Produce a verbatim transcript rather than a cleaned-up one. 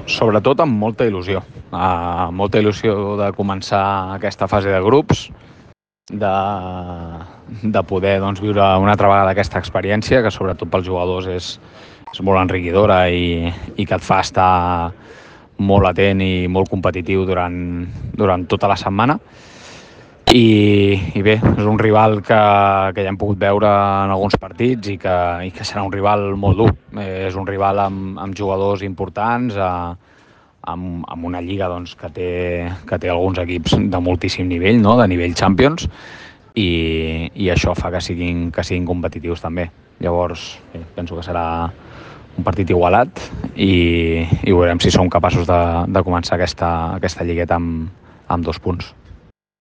sobretot amb molta il·lusió. Uh, molta il·lusió de començar aquesta fase de grups, de, de poder doncs, viure una altra vegada aquesta experiència, que sobretot pels jugadors és, és molt enriquidora i, i que et fa estar molt atent i molt competitiu durant, durant tota la setmana. I, i bé, és un rival que, que ja hem pogut veure en alguns partits i que, i que serà un rival molt dur. Eh, és un rival amb, amb jugadors importants, eh, amb, amb una lliga doncs, que, té, que té alguns equips de moltíssim nivell, no? De nivell Champions, i, i això fa que siguin, que siguin competitius també. Llavors, bé, penso que serà un partit igualat i, i veurem si som capaços de, de començar aquesta, aquesta lligueta amb, amb dos punts.